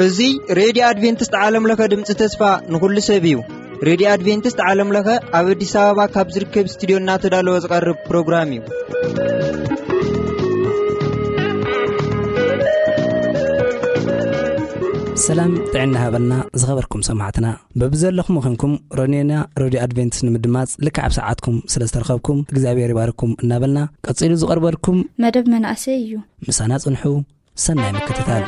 እዚ ሬድዮ ኣድቬንቲስት ዓለም ለኸ ድምፂ ተስፋ ንኹሉ ሰብ እዩ። ሬድዮ ኣድቬንቲስት ዓለም ለኸ ኣብ ኣዲስ ኣበባ ካብ ዝርከብ ስቱዲዮ እናተዳለወ ዝቐርብ ፕሮግራም እዩ። ሰላም ጥዕና ሃበልና ዝኸበርኩም ሰማዕትና። በብዘለኹም ኾንኩም ሮኔና ሬድዮ ኣድቬንቲስት ንምድማፅ ልክዕ ኣብ ሰዓትኩም ስለ ዝተረኸብኩም እግዚኣብሔር ይባርኩም እናበልና፣ ቀፂሉ ዝቐርበልኩም መደብ መናእሰይ እዩ። ምሳና ፅንሑ። ሰናይ ምክትታል።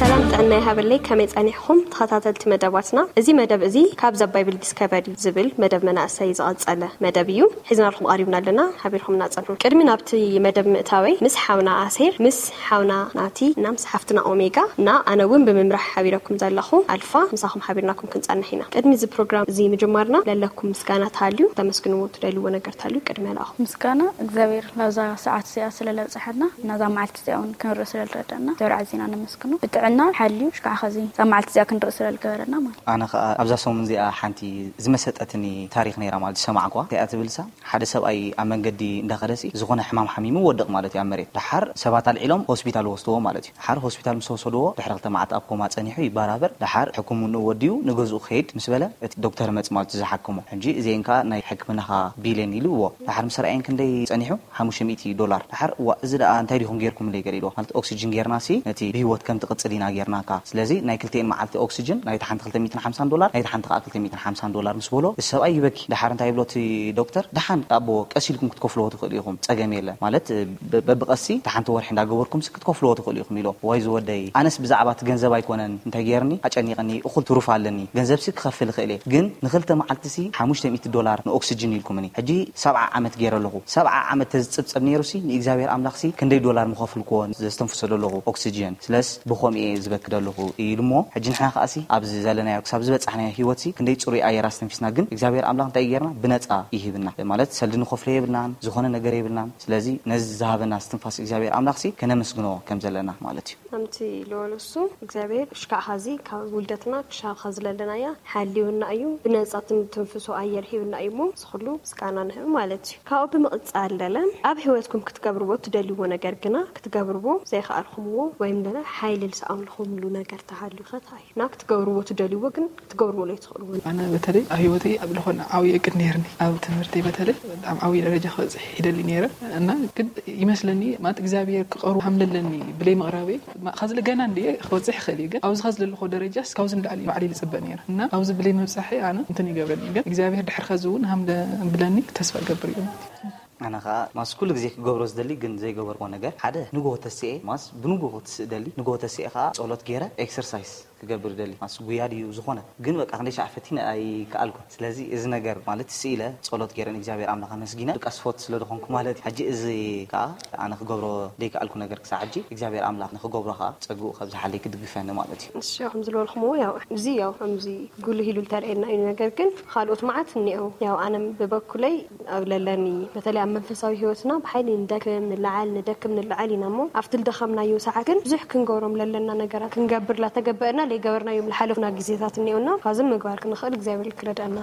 ሰላም ጥዕና ይሃበለይ፣ ከመይ ጸኒሕኩም ተኸታተልቲ መደባትና? እዚ መደብ እዚ ካብ ዘ ባይብል ዲስከቨሪ ዝብል መደብ መናእሰይ ዝቐጸለ መደብ እዩ። ሒዝናልኩም ቀሪብና ኣለና፣ ሓቢርኩምና ጸንሑ። ቅድሚ ናብቲ መደብ ምእታወይ ምስ ሓውና ኣሴር፣ ምስ ሓውና ናቲ እና ምስ ሓፍትና ኦሜጋ እና ኣነ እውን ብምምራሕ ሓቢረኩም ዘለኹ ኣልፋ ምሳኹም ሓቢርናኩም ክንጸንሕ ኢና። ቅድሚ እዚ ፕሮግራም እዚ ምጅማርና ለለኩም ምስጋና ተሃልዩ፣ ተመስግንዎ ትደልይዎ ነገር ተሃልዩ ቅድሚ ለኣኹ። ምስጋና እግዚኣብሔር ናብዛ ሰዓት እዚኣ ስለ ለብጽሐና፣ ናዛ መዓልቲ እዚኣ እውን ክንርኢ ስለ ዝረዳእና እግዚኣብሔር ኣዚና ነመስግኖ። ብጥዕና ሓልዩ ሽካዕ ኸዚ እዛ መዓልቲ እዚኣ ክንርኢ ስለ ዝገበረና ማለት። ኣነ ኸኣ ኣብዛ ሰሙን እዚኣ ሓንቲ ዝመሰጠትኒ ታሪኽ ነይራ ማለት ዝሰማዕኳ። እንታይ እያ ትብልሳ? ሓደ ሰብኣይ ኣብ መንገዲ እንዳኸደሲ ዝኾነ ሕማም ሓሚሙ ወድቕ ማለት እዩ ኣብ መሬት። ደሓር ሰባት ኣልዒሎም ሆስፒታል ወስድዎ ማለት እዩ። ደሓር ሆስፒታል ምስ ወሰድዎ ድሕሪ ክልተ መዓልቲ ኣብ ኮማ ጸኒሑ ይበራበር። ደሓር ሕክምንኡ ወዲኡ ንገዝኡ ክኸይድ ምስ በለ እቲ ዶክተር መጽ ማለት እዩ ዝሓክሞ። ሕጂ እዚአን ከኣ ናይ ሕክምናኻ ቢል እየን ኢልዎ። ደሓር ምስ ረኣየን ክንደይ ጸኒሑ? ሓሙሽተ ሚእቲ ዶላር። ደሓር እዋ እዚ ደኣ እንታይ ዲኹም ጌርኩምለይ ገለ ኢልዎ። ማለት ኦክሲጅን ጌርና ሲ ነቲ ብህይወት ከም ትቕጽል ኢና ጌርናካ። ስለዚ ናይ ክልቲኤን መዓልቲ ኦክሲጅን ናይቲ ሓንቲ ክልተ ሚእትን ሓምሳን ዶላር፣ ናይቲ ሓንቲ ከኣ ክልተ ሚእትን ሓምሳን ዶላር ምስ በሎ፣ እዚ ሰብኣይ ይበኪ። ደሓር እንታይ ይብሎ እቲ ዶክተር? ደሓን ኣቦ ቀስ ኢልኩም ክትከፍልዎ ትኽእሉ ኢኹም፣ ጸገም የለን። ማለት ብ-፣ በብቐሲ እቲ ሓንቲ ወርሒ እንዳገበርኩም ሲ ክትከፍልዎ ትኽእሉ ኢኹም ኢሎ። ዋይ ዝወደይ፣ ኣነስ ብዛዕባ እቲ ገንዘብ ኣይኮነን እንታይ ጌርኒ ኣጨኒቕኒ፣ እኹል ትሩፍ ኣለኒ፣ ገንዘብ ሲ ክኸፍል እኽእል እየ፣ ግን ንኽልተ መዓልቲ ሲ ሓሙሽተ ሚእቲ ዶላር ንኦክሲጅን ኢልኩምኒ። ሕጂ ሰብዓ ዓመት ገይረ ኣለኹ። ሰብዓ ዓመት ተዝጽብጸብ ነይሩ ሲ ንእግዚኣብሔር ኣምላኽ ሲ ክንደይ ዶላር ምኸፍልክዎ ዘስተንፍሶ ዘለኹ ኦክሲጅን። ስለስ ብኸምኡ እየ ዝበኪ ዘለኹ ኢሉ እሞ፣ ሕጂ ንሕና ከኣ ሲ ኣብዚ ዘለናዮ ክሳብ ዝበጻሕናዮ ህይወት ሲ ክንደይ ጽሩይ ኣየር ኣስተንፊስና፣ ግን እግዚኣብሔር ኣምላኽ እንታይ ጌርና? ብነጻ ይህብና። ማለት ሰልዲ ንኸፍሎ የብልናን፣ ዝኾነ ነገር የብልናን። ስለዚ ነዚ ዝሃበና እስትንፋስ እግዚኣብሔር ኣምላኽ ሲ ከነመስግኖ ከም ዘለና ማለት እዩ። ከምቲ ዝበሎ እሱ እግዚኣብሔር ሽካዕ ኸዚ ካብ ውልደትና ክሻብ ኸዚ ለለናያ ሓልዩና እዩ። ብነጻ ትንትንፍሶ ኣየር ሂብና እዩ እሞ፣ እዚ ኹሉ ምስጋና ንህብ ማለት እዩ። ካብኡ ብምቕጻል ለለ ኣብ ህይወትኩም ክትገብርዎ ትደልይዎ ነገር ግና ክትገብርዎ ዘይከኣልኩምዎ ወይም ለለ ሓይሊ ዝሰኣንኩምሉ ነገር ተሃልዩ ኸ እንታይ እዩ? እና ክትገብርዎ ትደልይዎ ግን ክትገብርዎ ለይትኽእልዎ። ኣነ በተለይ ኣብ ህይወተይ ኣብ ዝኾነ ዓብዪ እቅድ ነይርኒ። ኣብ ትምህርተይ በተለይ ኣብ ዓብዪ ደረጃ ክበጽሕ ይደሊ ነይረ። እና ግን ይመስለኒ ማለት እግዚኣብሔር ክቐርቦ ሃም ለለኒ ብለይ ምቕራበይ ማ-፣ ኸዚ ገና እንድየ ክበጽሕ ይኽእል እዩ። ግን ኣብዚ ኸዚ ዘለኹ ደረጃስ ካብዚ ንላዕሊ ባዕለይ ዝጽበ ነይረ። እና ኣብዚ ብለይ ምብጻሐይ ኣነ እንትን ይገብረኒ። ግን እግዚኣብሔር ድሕሪ ኸዚ እውን ሃም ደ-፣ ብለኒ ተስፋ እገብር እዩ ማለት እዩ። ኣነ ኸኣ ማስ ኩሉ ግዜ ክገብሮ ዝደሊ ግን ዘይገበርዎ ነገር ሓደ ንግሆ ተስኤ ማስ ብንግሆ ክትስእ ደሊ። ንግሆ ተስኤ ኸኣ ጸሎት ገይረ ኤክሰርሳይስ ክገብር ደሊ። ማስ ጉያ ድዩ ዝኾነ ግን በቃ ክንደይ ሻዕ ፈቲነ ኣይከኣልኩን። ስለዚ እዚ ነገር ማለት ስኢለ ጸሎት ገይረ ንእግዚኣብሔር ኣምላኽ ኣመስጊነ ብቃ ስፖርት ስለ ዝኾንኩ ማለት እዩ። ሕጂ እዚ ከኣ ኣነ ክገብሮ ደይከኣልኩ ነገር ክሳዕ ሕጂ እግዚኣብሔር ኣምላኽ ንኽገብሮ ከኣ ጸግኡ ከብዝሓለይ ክድግፈኒ ማለት እዩ። እሺ፣ ከም ዝበልኩምዎ ያው እዚ ያው ከምዚ ጉልህ ኢሉ ዝተረኤና እዩ። ነገር ግን ካልኦት መዓት እኒአው። ያው ኣነ ብበኩለይ ኣብ ለለኒ በተለይ ኣብ መንፈሳዊ ህይወትና ብሓይሊ ንደክም ንለዓል ንደክም ንለዓል ኢና እሞ ኣብቲ ልደኸምናዮ ሰዓት ግን ብዙሕ ክንገብሮም ለለና ነገራት ክንገብር ላተገበአና ለይገበርናዮም ልሓለፉና ግዜታት እኒኦና ካብዚ ምግባር ክንኽእል እግዚኣብሔር ክረድአና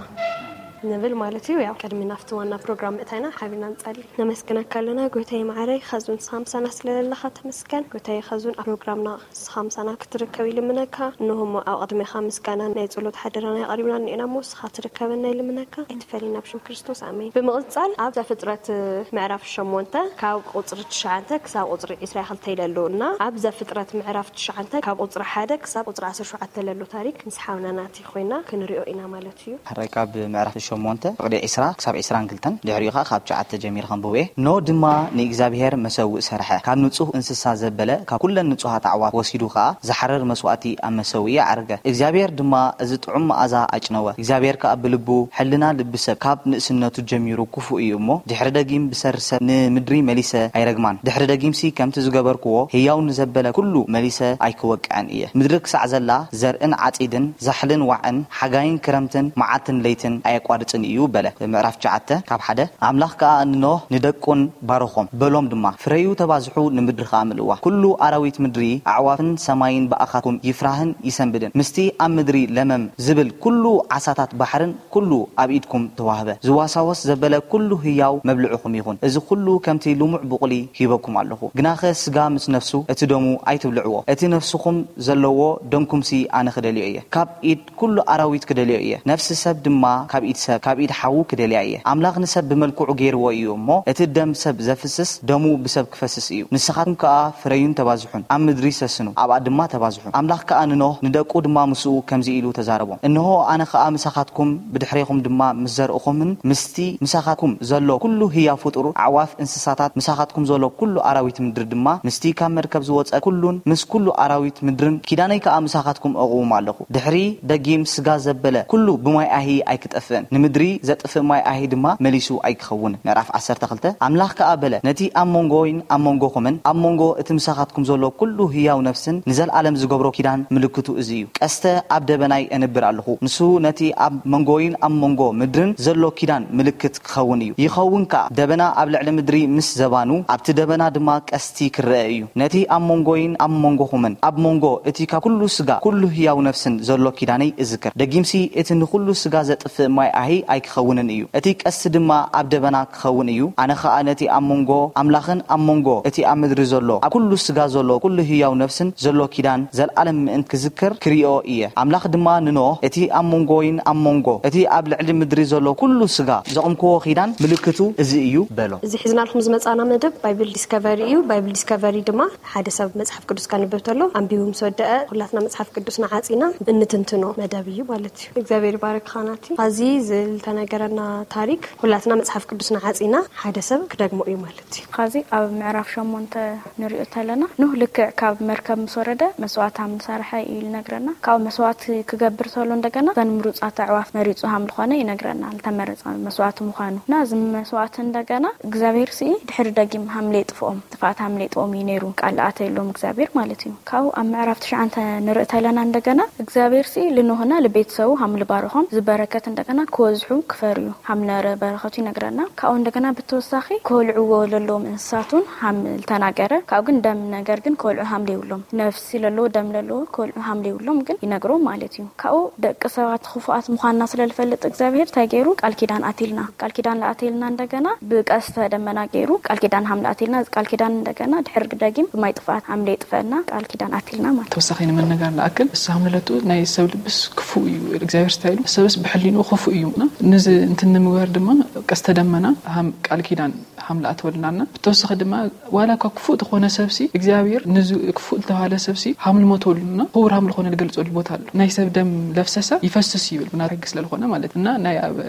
ንብል ማለት እዩ። ያው ቅድሚ ናብቲ ዋና ፕሮግራም ምእታይና ሓቢርና ንጸሊ። ነመስግነካ ኣለና ጎይታይ መዓረይ ኸዚ ንስኻ ምሳና ስለ ዘለኻ ተመስገን። ጎይታይ ኸዚ ኣብ ፕሮግራምና ንስኻ ምሳና ክትርከብ ይልምነካ። እንሆ እሞ ኣብ ቅድሜኻ ምስጋና ናይ ጸሎት ሓደራና የቐሪብና እኒኤና እሞ ንስኻ ትርከበና ይልምነካ። ኣይትፈለየና ኣብ ሽም ክርስቶስ ኣሜን። ብምቕጻል ኣብ ዘፍጥረት ምዕራፍ ሸሞንተ ካብ ቁጽሪ ትሽዓተ ክሳብ ቁጽሪ ዕስራ ክልተ ኢለ ኣሎ እና ኣብ ዘፍጥረት ምዕራፍ ትሽዓተ ካብ ቁጽሪ ሓደ ክሳብ ቁጽሪ ዓሰርተ ሸውዓተ ለሎ ታሪክ ምስ ሓውና ናቲ ኮይና ክንሪኦ ኢና ማለት እዩ። ሕራይ ካብ ምዕራፍ ሸሞንተ ፍቕዲ ዒስራ ክሳብ ዒስራን ክልተን፣ ድሕሪኡ ኸኣ ካብ ትሽዓተ ጀሚረ ከንብቦ እየ። ኖህ ድማ ንእግዚኣብሔር መሰውእ ሰርሐ፣ ካብ ንጹህ እንስሳ ዘበለ፣ ካብ ኩለን ንጹሃት ኣዕዋፍ ወሲዱ ኸኣ ዝሓርር መስዋእቲ ኣብ መሰውኢ ኣዕረገ። እግዚኣብሔር ድማ እዚ ጥዑም መኣዛ ኣጭነወ። እግዚኣብሔር ከኣ ብልቡ፣ ሕልና ልቢ ሰብ ካብ ንእስነቱ ጀሚሩ ክፉእ እዩ እሞ፣ ድሕሪ ደጊም ብሰሪ ሰብ ንምድሪ መሊሰ ኣይረግማን። ድሕሪ ደጊምሲ ከምቲ ዝገበርክዎ ህያው ንዘበለ ኩሉ መሊሰ ኣይክወቅዐን እየ። ምድሪ ክሳዕ ዘላ ዘርእን ዓጺድን፣ ዛሕልን ዋዕን፣ ሓጋይን ክረምትን፣ መዓልትን ለይትን ኣየቋርጽን እዩ በለ። ምዕራፍ ትሽዓተ ካብ ሓደ። ኣምላኽ ከኣ ንኖህ ንደቁን ባረኾም፣ በሎም ድማ፣ ፍረዩ ተባዝሑ፣ ንምድሪ ከኣ ምልእዋ። ኩሉ ኣራዊት ምድሪ፣ ኣዕዋፍን ሰማይን ብኣኻትኩም ይፍራህን ይሰንብድን። ምስቲ ኣብ ምድሪ ለመም ዝብል ኩሉ ዓሳታት ባሕርን ኩሉ ኣብ ኢድኩም ተዋህበ። ዝዋሳወስ ዘበለ ኩሉ ህያው መብልዕኹም ይኹን። እዚ ኩሉ ከምቲ ልሙዕ ብቑሊ ሂበኩም ኣለኹ። ግናኸ ስጋ ምስ ነፍሱ እቲ ደሙ ኣይትብልዕዎ። እቲ ነፍስኹም ዘለዎ ደምኩምሲ ኣነ ክደልዮ እየ። ካብ ኢድ ኩሉ ኣራዊት ክደልዮ እየ። ነፍሲ ሰብ ድማ ካብ ኢድ ሰብ፣ ካብ ኢድ ሓዉ ክደልያ እየ። ኣምላኽ ንሰብ ብመልክዑ ገይርዎ እዩ እሞ፣ እቲ ደም ሰብ ዘፍስስ ደሙ ብሰብ ክፈስስ እዩ። ንስኻትኩም ከኣ ፍረዩን ተባዝሑን፣ ኣብ ምድሪ ሰስኑ፣ ኣብኣ ድማ ተባዝሑ። ኣምላኽ ከኣ ንኖህ ንደቁ ድማ ምስኡ ከምዚ ኢሉ ተዛረቦም። እንሆ ኣነ ከኣ ምሳኻትኩም፣ ብድሕሬኹም ድማ ምስ ዘርእኹምን ምስቲ ምሳኻትኩም ዘሎ ኩሉ ህያው ፍጡር፣ ኣዕዋፍ፣ እንስሳታት፣ ምሳኻትኩም ዘሎ ኩሉ ኣራዊት ምድሪ ድማ ምስቲ ካብ መርከብ ዝወጸ ኩሉን ምስ ኩሉ ኣራዊት ምድርን ኪዳነይ ከኣ ምሳኻትኩም እቕውም ኣለኹ። ድሕሪ ደጊም ስጋ ዘበለ ኩሉ ብማይ ኣሂ ኣይክጠፍእን፣ ንምድሪ ዘጥፍእ ማይ ኣሂ ድማ መሊሱ ኣይክኸውንን። ምዕራፍ ዓሰርተ ክልተ። ኣምላኽ ከኣ በለ፣ ነቲ ኣብ መንጎይን ኣብ መንጎኹምን ኣብ መንጎ እቲ ምሳኻትኩም ዘሎ ኩሉ ህያው ነፍስን ንዘለኣለም ዝገብሮ ኪዳን ምልክቱ እዚ እዩ። ቀስተ ኣብ ደበናይ እንብር ኣለኹ። ንሱ ነቲ ኣብ መንጎይን ኣብ መንጎ ምድርን ዘሎ ኪዳን ምልክት ክኸውን እዩ። ይኸውን ከኣ፣ ደበና ኣብ ልዕሊ ምድሪ ምስ ዘባኑ፣ ኣብቲ ደበና ድማ ቀስቲ ክረአ እዩ። ነቲ ኣብ መንጎይን ኣብ መንጎኹምን ኣብ መንጎ እቲ ካብ ኩሉ ስጋ ኩሉ ህያው ነፍስን ዘሎ ኪዳነይ እዝክር። ደጊምሲ እቲ ንኹሉ ስጋ ዘጥፍእ ማይ ኣሂ ኣይክኸውንን እዩ። እቲ ቀስቲ ድማ ኣብ ደበና ክኸውን እዩ። ኣነ ኸኣ ነቲ ኣብ መንጎ ኣምላኽን ኣብ መንጎ እቲ ኣብ ምድሪ ዘሎ ኣብ ኩሉ ስጋ ዘሎ ኩሉ ህያው ነፍስን ዘሎ ኪዳን ዘልኣለም ምእንቲ ክዝክር ክርእዮ እየ። ኣምላኽ ድማ ንኖህ፣ እቲ ኣብ መንጎይን ኣብ መንጎ እቲ ኣብ ልዕሊ ምድሪ ዘሎ ኩሉ ስጋ ዘቕምክዎ ኪዳን ምልክቱ እዚ እዩ በሎ። እዚ ሒዝናልኩም ዝመጻና መደብ ባይብል ዲስከቨሪ እዩ። ባይብል ዲስከቨሪ ድማ ሓደ ሰብ መጽሓፍ ቅዱስ ከንብብ ተሎ ኣንቢቡ ምስ ወደአ ኩላትና መጽሓፍ ቅዱስና ዓጺና እንትንትኖ መደብ እዩ ማለት እዩ። እግዚኣብሔር ይባርክ ኻናቲ። ኻዚ ዝተነገረና ታሪክ ኩላትና መጽሓፍ ቅዱስና ዓጺና ሓደ ሰብ ክደግሞ እዩ ማለት እዩ። ኻዚ ኣብ ምዕራፍ ሸሞንተ ንሪኦ ተለና ኖህ ልክዕ ካብ መርከብ ምስ ወረደ መስዋእቲ ሃም ዝሰረሐ እዩ ይነግረና። ካብኡ መስዋእቲ ክገብር ተሎ እንደገና እተን ምሩፃት ኣዕዋፍ መሪፁ ሃም ዝኾነ ይነግረና። ዝተመረፀ መስዋእቲ ምዃኑ እና እዚ መስዋእቲ እንደገና እግዚኣብሔር ስኢ ድሕሪ ደጊም ሃምሌ ጥፍኦም ጥፍኣት ሃምሌ ጥኦም እዩ ነይሩ ቃል ኣተየሎም እግዚኣብሔር ማለት እዩ። ካብኡ ኣብ ምዕራፍ ትሽዓንተ ንርኢ ተለና እንደገና እግዚኣብሔር ስኢ ልኖህና ልቤተሰቡ ሃም ልባርኾም ዝበረከት እንደገና ክወዝሑ ክፈርዩ ሃም ነበረ በረከቱ ይነግረና። ካብኡ እንደገና ብተወሳኺ ክወልዕዎ ለለዎም እንስሳት እውን ሃም ዝተናገረ ካብኡ ግን ደም ነገር ግን ክወልዑ ሃም ለይብሎም ነፍሲ ለለዎ ደም ለለዎ ክወልዑ ሃም ለይብሎም ግን ይነግሮም ማለት እዩ። ካብኡ ደቂ ሰባት ክፉኣት ምዃንና ስለ ዝፈልጥ እግዚኣብሔር እንታይ ገይሩ ቃል ኪዳን ኣትልና ቃል ኪዳን ለኣትልና እንደገና ብቀስተ ደመና ገይሩ ቃል ኪዳን ሃም ለኣትልና እዚ ቃል ኪዳን እንደገና ድሕሪ ደጊም ብማይ ጥፍኣት ሃም ለይጥፈአና ቃል ኪዳን ኣትልና ማለት ተወሳኺ ንመነጋር ንኣክል እሱ ሃምለለቱ ናይ ሰብ ልብስ ክፉእ እዩ እግዚኣብሔር ስታይሉ ሰብስ ብሕሊኑ ክፉእ እዩ እና ንዚ እንትን ንምግባር ድማ ቀስተ ደመና ሃም ቃል ኪዳን ሃም ለኣተወልናና ብተወሳኺ ድማ ዋላ እኳ ክፉእ ተኾነ ሰብሲ እግዚኣብሔር ንዚ ክፉእ ዝተባሃለ ሰብሲ ሃም ልሞተሉና ክቡር ሃም ልኾነ ልገልጸሉ ቦታ ኣሎ ናይ ሰብ ደም ለፍሰሰ ይፈስስ ይብል ብና ሕጊ ስለልኾነ ማለት እና ናይ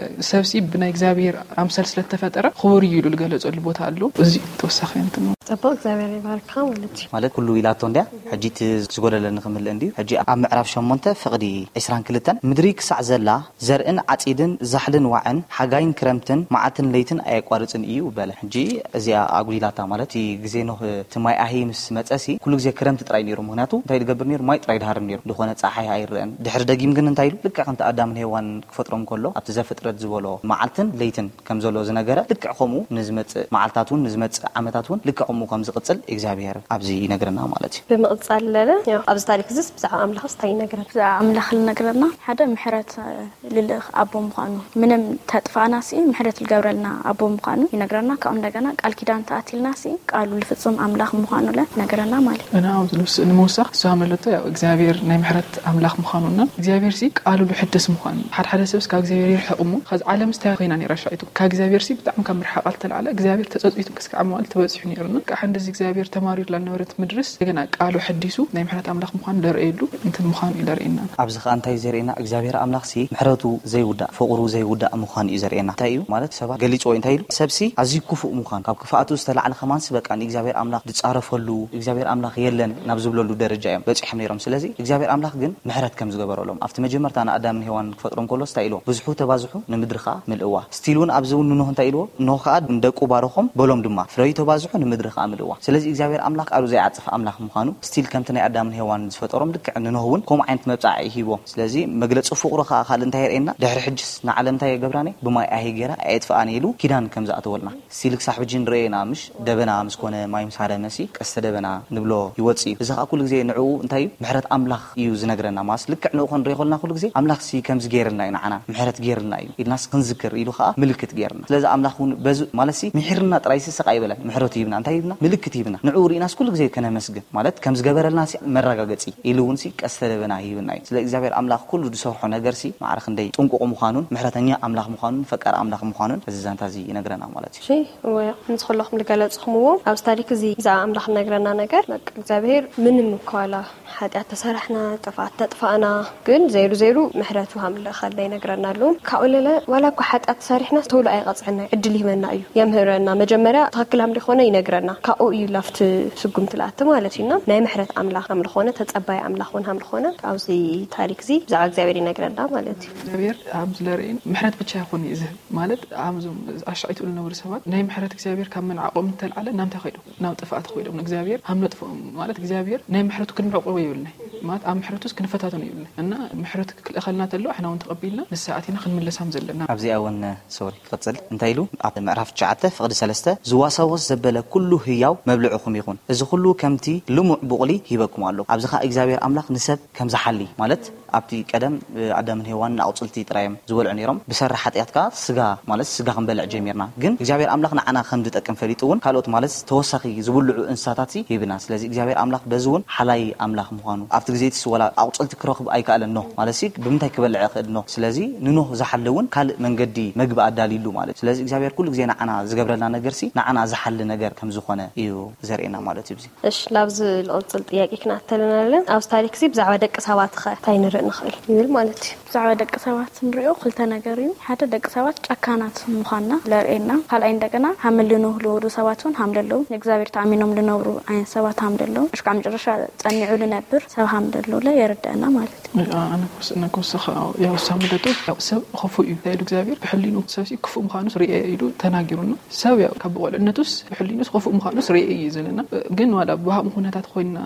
ሰብሲ ብናይ እግዚኣብሔር ኣምሳል ስለተፈጠረ ክቡር እዩ ኢሉ ልገለጸሉ ቦታ ኣሎ እዚ ተወሳኺ እንትን ነው ፅቡቅ እግዚኣብሔር ይባርካ ማለት እዩ ማለት ኩሉ ኢላቶ እንድያ ሕጂ እቲ ዝጎደለኒ ክምልእ እንድዩ ሕጂ ኣብ ምዕራፍ ሸሞንተ ፍቕዲ ዕስራን ክልተን ምድሪ ክሳዕ ዘላ ዘርእን ዓፂድን ዛሕልን ዋዕን ሓጋይን ክረምትን መዓልትን ለይትን ኣየቋርፅን እዩ በለ። ሕጂ እዚኣ ኣጉዲላታ ማለት እቲ ግዜ ኖህ እቲ ማይ ኣሂ ምስ መፀ ሲ ኩሉ ግዜ ክረምቲ ጥራይ ነይሩ። ምክንያቱ እንታይ ዝገብር ነይሩ? ማይ ጥራይ ድሃርም ነይሩ። ዝኾነ ፀሓይ ኣይረአን። ድሕሪ ደጊም ግን እንታይ ኢሉ? ልክዕ ከምቲ ኣዳምን ሄዋን ክፈጥሮም ከሎ ኣብቲ ዘፍጥረት ዝበሎ መዓልትን ለይትን ከም ዘሎ ዝነገረ ልክዕ ከምኡ ንዝመፅእ መዓልታት እውን ንዝመፅእ ዓመታት እውን ልክዕ ከምኡ ከም ዝቕፅል እግዚኣብሔር ኣብዚ ይነግረና ማለት እዩ። ብምቕፃል ለለ ኣብዚ ታሪክ እዚስ ብዛዕባ ኣምላኽስ እንታይ ይነግረን? ብዛዕባ ኣምላኽ ልነግረና ሓደ ምሕረት ልልእኽ ኣቦ ምዃኑ ምንም ተጥፋእና ሲ ምሕረት ልገብረልና ኣቦ ምዃኑ ይነግረና ካብኡ እንደገና ቃል ኪዳን ተኣቲልና ሲ ቃሉ ልፍፅም ኣምላኽ ምዃኑ ለ ይነግረና ማለት እዩ። እና ኣብዚ ንስ ንምውሳኽ እሱ ሃመለቶ ያው እግዚኣብሔር ናይ ምሕረት ኣምላኽ ምዃኑና እግዚኣብሔር ሲ ቃሉ ልሕድስ ምዃኑ ሓደ ሓደ ሰብስ ካብ እግዚኣብሔር ይርሕቕ እሞ ከዚ ዓለም ስታይ ኮይና ነይራ ሻይቱ ካብ እግዚኣብሔር ሲ ብጣዕሚ ካብ ምርሓቓ ልተላዕለ እግዚኣብሔር ተፀፅቱ ክስካዕ መዋል ተበፂሑ ነይሩና ከዓ እንደዚ እግዚኣብሔር ተማሪርላ ዝነበረት ምድርስ እንደገና ቃሉ ሐዲሱ ናይ ምሕረት ኣምላኽ ምዃኑ ለርእየሉ እንትን ምዃኑ እዩ ለርእየና። ኣብዚ ከዓ እንታይ እዩ ዘርእየና? እግዚኣብሔር ኣምላኽ ሲ ምሕረቱ ዘይውዳእ፣ ፍቕሩ ዘይውዳእ ምዃኑ እዩ ዘርእየና። እንታይ እዩ ማለት? ሰባት ገሊፅዎ እንታይ ኢሉ? ሰብሲ ኣዝዩ ክፉእ ምዃኑ፣ ካብ ክፍኣቱ ዝተላዕለ ከማንስ በቃ ንእግዚኣብሔር ኣምላኽ ዝጻረፈሉ፣ እግዚኣብሔር ኣምላኽ የለን ናብ ዝብለሉ ደረጃ እዮም በፂሖም ነይሮም። ስለዚ እግዚኣብሔር ኣምላኽ ግን ምሕረት ከም ዝገበረሎም ኣብቲ መጀመርታ ንኣዳምን ሄዋን ክፈጥሮም ከሎ እንታይ ኢልዎ? ብዙሑ ተባዝሑ ንምድሪ ከዓ ምልእዋ። ስቲል እውን ኣብዚ እውን ንኖህ እንታይ ኢልዎ? ኖህ ከዓ ንደቁ ባረኾም በሎም ድማ ፍረዩ ተባዝሑ ንምድሪ ከዓ ምልእዋ። ስለዚ እግዚኣብሔር ኣምላኽ ቃሉ ዘይዓጽፍ ኣምላኽ ምዃኑ ስቲል ከምቲ ናይ ኣዳምን ሄዋን ዝፈጠሮም ልክዕ ንኖህ እውን ከምኡ ዓይነት መብጻዕ እዩ ሂቦም። ስለዚ መግለጺ ፍቕሩ ከዓ ካልእ እንታይ የርእየና? ድሕሪ ሕጅስ ንዓለም እንታይ የገብራኒ? ብማይ ኣሂ ገይራ ኣየጥፍኣኒ ኢሉ ኪዳን ከም ዝኣተወልና ስቲል ክሳብ ሕጂ ንርእዮ ኢና። ምሽ ደበና ምስ ኮነ ማይ ምስ ሃረመሲ ቀስተ ደበና ንብሎ ይወጽእ እዩ። እዚ ከዓ ኩሉ ግዜ ንዕኡ እንታይ እዩ? ምሕረት ኣምላኽ እዩ ዝነግረና። ማስ ልክዕ ንኡ ክንሪኦ ከለና ኩሉ ግዜ ኣምላኽ ሲ ከምዚ ገይርልና እዩ ንዓና ምሕረት ገይርልና እዩ ኢልናስ ክንዝክር ኢሉ ከዓ ምልክት ገይርና። ስለዚ ኣምላኽ እውን በዚ ማለት ሲ ምሒርና ጥራይ ሲ ስቕ ኣይበለን፣ ምሕረቱ ይብና። እንታይ ይብና? ምልክት ይብና። ንዕኡ ርኢናስ ኩሉ ግዜ ከነመስግን ማለት ከም ዝገበረልና ሲ መረጋገጺ ኢሉ እውን ሲ ቀስተ ደበና ይህብና እዩ። ስለ እግዚኣብሔር ኣምላኽ ኩሉ ዝሰርሖ ነገር ሲ ማዕረ ክንደይ ጥንቁቕ ምዃኑን ምሕረተኛ ኣምላኽ ምዃኑን ፈቃር ኣምላኽ ምዃኑን እዚ ዛንታ እዚ ይነግረና ማለት እዩ። እሺ፣ እወ፣ ከምዚ ከለኹም ዝገለጽኹምዎ ኣብዚ ታሪክ እዚ ብዛዕባ ኣምላኽ እነግረና ነገር በቃ እግዚኣብሔር ምንም እኳ ዋላ ሓጢኣት ተሰራሕና፣ ጥፍኣት ተጥፋእና፣ ግን ዘይሩ ዘይሩ ምሕረቱ ሃምልኸልና ይነግረና ኣለዉ። ካብኡ ለለ ዋላ እኳ ሓጢኣት ተሰሪሕና ቶሎ ኣይቐጽዐና እዩ፣ ዕድል ይህበና እዩ፣ የምህረና። መጀመርያ ትኽክል ሃምልኾነ ይነግረና፣ ካብኡ እዩ ላፍቲ ስጉምቲ ልኣቲ ማለት እዩ። እና ናይ ምሕረት ኣምላኽ ሃምልኾነ፣ ተጸባይ ኣምላኽ እውን ሃምልኾነ ኣብዚ ታሪክ እዚ ብዛዕባ እግዚኣብሔር ይነግረና ማለት እዩ። እግዚኣብሔር ኣብ ዝለርእን ምሕረት ብቻ ይኾን እዩ ዝህብ ማለት ኣብዞም ኣሻዒትኡ ዝነበሩ ሰባት ናይ ምሕረት እግዚኣብሔር ካብ ምንዓቆም እንተልዓለ ናምታይ ኸይዶም ናብ ጥፍኣት ኸይዶም ንእግዚኣብሔር ሃም ነጥፍኦም ማለት እግዚኣብሔር ናይ ምሕረቱ ክንዕቆቦ ይብልና ማለት ኣብ ምሕረቱስ ክንፈታተኑ ይብልና እና ምሕረቱ ክልእኸልና ተሎ ኣሕና እውን ተቐቢልና ንስኣት ኢና ክንምለሳም ዘለና። ኣብዚኣ እውን ሶሪ ክቕፅል እንታይ ኢሉ ኣብ ምዕራፍ ትሽዓተ ፍቕዲ ሰለስተ ዝዋሳወስ ዘበለ ኩሉ ህያው መብልዕኹም ይኹን፣ እዚ ኩሉ ከምቲ ልሙዕ ቡቕሊ ሂበኩም ኣሎ። ኣብዚ ኸዓ እግዚኣብሔር ኣምላኽ ንሰብ ከም ዝሓሊ ማለት ኣብቲ ቀደም ኣዳምን ሄዋን ንኣቑፅልቲ ጥራዮም ዝበልዑ ነይሮም። ብሰሪ ሓጢኣት ከዓ ስጋ ማለት ስጋ ክንበልዕ ጀሚርና። ግን እግዚኣብሔር ኣምላኽ ንዓና ከም ዝጠቅም ፈሊጡ እውን ካልኦት ማለት ተወሳኺ ዝብልዑ እንስሳታት ሂብና። ስለዚ እግዚኣብሔር ኣምላኽ በዚ እውን ሓላይ ኣምላኽ ምዃኑ ኣብቲ ግዜ እቲ ወላ ኣቑፅልቲ ክረኽብ ኣይከኣለን ኖህ ማለት ሲ ብምንታይ ክበልዕ ይኽእል ኖህ? ስለዚ ንኖህ ዝሓሊ እውን ካልእ መንገዲ መግቢ ኣዳልይሉ ማለት። ስለዚ እግዚኣብሔር ኩሉ ግዜ ንዓና ዝገብረልና ነገር ሲ ንዓና ዝሓሊ ነገር ከም ዝኾነ እዩ ዘርእየና ማለት እዩ። እሺ፣ ላብዚ ልቕፅል ጥያቄ ክንኣተለናለን። ኣብዚ ታሪክ እዚ ብዛዕባ ደቂ ሰባት ኸ እንታይ ንርኢ ንኽእል ይብል ማለት እዩ። ብዛዕባ ደቂ ሰባት ንሪኦ ክልተ ነገር እዩ። ሓደ ደቂ ሰባት ጨካናት ምዃንና ለርእየና፣ ካልኣይ እንደገና ሃም ልንህልወሩ ሰባት እውን ሃም ለለዉ ንእግዚኣብሔር ተኣሚኖም ልነብሩ ዓይነት ሰባት ሃም ለለዉ እሽካዕ መጨረሻ ጸኒዑ ልነብር ሰብ ሃም ለለዉ ለ የረድአና ማለት እዩ። ኣነ ክወስነ ክወስኸ ያው ሳሙ ደጡ ያው ሰብ ኸፉ እዩ ኢሉ እግዚኣብሔር ብሕሊኑ ሰብ ሲ ክፉእ ምዃኑስ ርእየ ኢሉ ተናጊሩና። ሰብ ያው ካብ ብቆልዕነቱስ ብሕሊኑስ ኸፉእ ምዃኑስ ርእየ እዩ ዘለና። ግን ዋላ ብሃም ኩነታት ኮይንና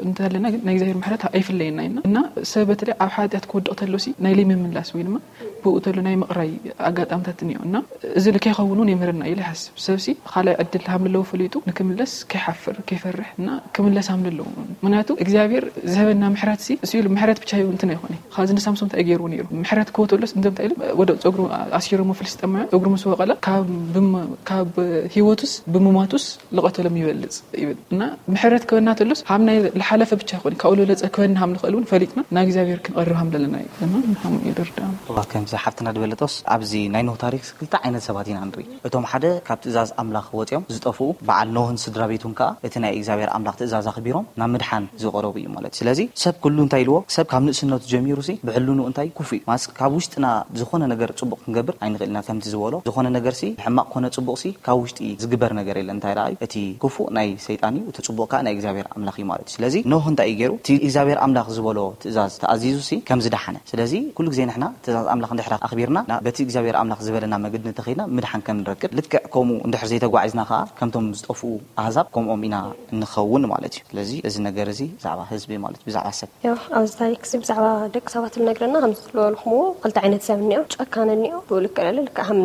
እንተለና ግን ናይ እግዚኣብሔር ምሕረት ኣይፍለየና ኢና እና ሰብ በተለይ ኣብ ሓጢኣት ክወድቕ ተሎ ሲ ናይ ለይምምላስ ወይ ድማ ብኡ ተሎ ናይ ምቕራይ ኣጋጣምታት እኒኦ እና እዚ ከይኸውን እውን የምህረና ኢለ ይሓስብ። ሰብሲ ካልኣይ ዕድል ሃም ለለዎ ፈሊጡ ንክምለስ ከይሓፍር ከይፈርሕ እና ክምለስ ሃም ለለዎ። ምክንያቱ እግዚኣብሔር ዝህበና ምሕረት ሲ እሱ ኢሉ ምሕረት ብቻ ይው እንትን ኣይኮነ። ካብዚ ንሳምሶም እንታይ ገይርዎ ነይሩ? ምሕረት ክህቦ ተሎስ እንቶም እንታይ ኢሉ ወደ ፀጉሩ ኣሲሮሞ ፍልስጤማውያን ፀጉሩ ምስ ወቀለ ካብ ብም- ካብ ህይወቱስ ብምማቱስ ልቐተሎም ይበልፅ ይብል እና ምሕረት ክበና ተሎስ ሃም ናይ ዝሓለፈ ብቻ ይኮን ካብ ለለፀ ክበና ሃም ንኽእል እውን ፈሊጥና ናብ እግዚኣብሔር ክንቐርብ ሃም ለለና እዩ እና ሃም ይድርዳ። እዋ ከምዚ ሓፍትና ዝበለጦስ ኣብዚ ናይ ኖህ ታሪክ ክልተ ዓይነት ሰባት ኢና ንርኢ። እቶም ሓደ ካብ ትእዛዝ ኣምላኽ ወፂኦም ዝጠፍኡ በዓል ኖህን ስድራ ቤቱን ከዓ እቲ ናይ እግዚኣብሔር ኣምላኽ ትእዛዝ ኣኽቢሮም ናብ ምድሓን ዝቐረቡ እዩ ማለት እዩ። ስለዚ ሰብ ኩሉ እንታይ ኢልዎ? ሰብ ካብ ንእስነቱ ጀሚሩ ሲ ብሕልኑ እንታይ ክፉእ እዩ። ማስ ካብ ውሽጥና ዝኾነ ነገር ፅቡቕ ክንገብር ኣይንኽእል ኢና። ከምቲ ዝበሎ ዝኾነ ነገር ሲ ሕማቕ ኮነ ፅቡቕ ሲ ካብ ውሽጢ ዝግበር ነገር የለን። እንታይ ደኣ እቲ ክፉእ ናይ ሰይጣን እዩ፣ እቲ ፅቡቕ ከዓ ናይ እግዚኣብሔር ኣምላኽ እዩ ማለት እዩ። ስለዚ ኖህ እንታይ እዩ ገይሩ? እቲ እግዚኣብሔር ኣምላኽ ዝበሎ ትእዛዝ ተኣዚዙ ሲ ከም ዝደሓነ። ስለዚ ኩሉ ግዜ ንሕና ትእዛዝ ኣምላኽ እንድሕር ኣኽቢርና ና- በቲ እግዚኣብሔር ኣምላኽ ዝበለና መገዲ እንተኸይድና ምድሓን ከም ንረክብ ልክዕ ከምኡ እንድሕር ዘይተጓዒዝና ከዓ ከምቶም ዝጠፍኡ ኣህዛብ ከምኦም ኢና እንኸውን ማለት እዩ። ስለዚ እዚ ነገር እዚ ብዛዕባ ህዝቢ ማለት እዩ፣ ብዛዕባ ሰብ ያው ኣብዚ ታሪክ እዚ ብዛዕባ ደቂ ሰባት ዝነግረና ከም ዝበልኩምዎ ክልተ ዓይነት ሰብ እኒኦ፣ ጨካን እኒኦ፣ ብኡ ልክዕ ለለ ልክዕ ከም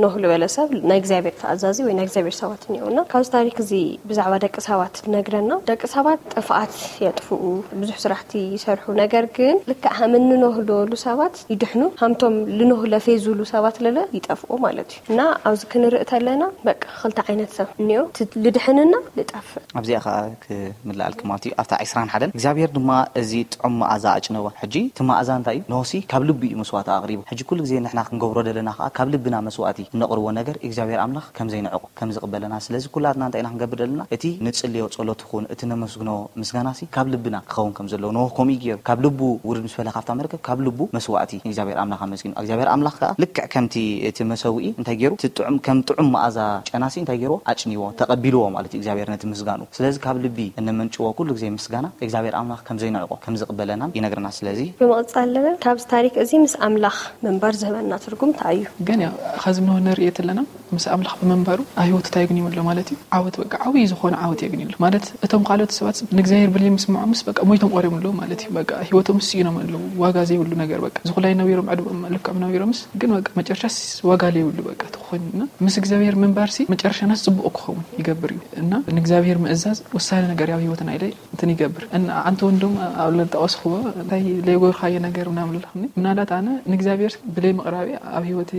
ኖህ ዝበለ ሰብ ናይ እግዚኣብሔር ተኣዛዚ ወይ ናይ እግዚኣብሔር ሰባት እኒኦ እና ካብዚ ታሪክ እዚ ብዛዕባ ደቂ ሰባት ዝነግረና ደቂ ሰባት ጥፍኣት የጥፍኡ ብዙሕ ስራሕቲ ይሰርሑ ነገር ግን ግን ልክዕ ሃም እንኖህ ዝበሉ ሰባት ይድሕኑ፣ ሃምቶም ልኖህ ለፌ ዝብሉ ሰባት ለለ ይጠፍኡ ማለት እዩ። እና ኣብዚ ክንርኢ ተለና በቃ ክልተ ዓይነት ሰብ እኒኦ፣ እቲ ልድሕንና ልጠፍእ። ኣብዚኣ ከዓ ክምልኣልኪ ማለት እዩ። ኣብታ ዕስራን ሓደን እግዚኣብሔር ድማ እዚ ጥዑም መኣዛ ኣጭነወ። ሕጂ እቲ መኣዛ እንታይ እዩ? ኖሲ ካብ ልቢ እዩ መስዋእቲ ኣቕሪቡ። ሕጂ ኩሉ ግዜ ንሕና ክንገብሮ ዘለና ከዓ ካብ ልብና መስዋእቲ እነቕርቦ ነገር እግዚኣብሔር ኣምላኽ ከም ዘይንዕቆ ከም ዝቕበለና። ስለዚ ኩላትና እንታይ ኢና ክንገብር ዘለና? እቲ ንጽልዮ ጸሎት ይኹን እቲ ነመስግኖ ምስጋናሲ ካብ ልብና ክኸውን ከም ዘለዎ ኖህ ከምኡ እዩ ገይሩ። ካብ ልቡ ውርድ ምስ በለ ካብታ መርከብ ካብ ልቡ መስዋእቲ እግዚኣብሔር ኣምላኽ ኣመስጊኑ። እግዚኣብሔር ኣምላኽ ከዓ ልክዕ ከምቲ እቲ መሰውኢ እንታይ ገይሩ? እቲ ጥዑም ከም ጥዑም መኣዛ ጨናሲ እንታይ ገይርዎ? ኣጭንዎ፣ ተቐቢልዎ ማለት እዩ እግዚኣብሔር ነቲ ምስጋኑ። ስለዚ ካብ ልቢ እነመንጭዎ ኩሉ ግዜ ምስጋና እግዚኣብሔር ኣምላኽ ከም ዘይንዕቆ ከም ዝቕበለናን ይነግረና። ስለዚ ብምቕጻል ለለ ካብዚ ታሪክ እዚ ምስ ኣምላኽ ምንባር ዝህበና ትርጉም እንታይ እዩ? ግን ያው ከዚ ኖህ ንርእዮ ተለና ምስ ኣምላኽ ብምንባሩ ኣብ ህይወቱ እንታይ የግንዩ ኣሎ ማለት እዩ? ዓወት፣ በቃ ዓብዪ ዝኾነ ዓወት የግንዩ ኣሎ ማለት። እቶም ካልኦት ሰባት ንእግዚኣብሔር ብለይ ምስምዖምስ በቃ ሞይቶም ቀሪቦም ኣለዉ ማለት እዩ። በቃ ህይወቶም ስኢኖም ኣለዉ፣ ዋጋ ዘይብሉ ነገር በቃ ዝኹላይ ነቢሮም ዕድመኦም ልክዕም ነቢሮምስ ግን በቃ መጨረሻስ ዋጋ ዘይብሉ በቃ ተኾይኑና ምስ እግዚኣብሔር ምንባርሲ መጨረሻናስ ጽቡቕ ክኸውን ይገብር እዩ። እና ንእግዚኣብሔር ምእዛዝ ወሳኒ ነገር ኣብ ህይወትና ኢለ እንትን ይገብር። እና ኣንቲ ወንድም ኣብ ለጠቐስኽዎ እንታይ ለይጎርካዮ ነገር ምናምን ኣለኹኒ። ምናልባት ኣነ ንእግዚኣብሔር ብለይ ምቕራቢ ኣብ ህይወት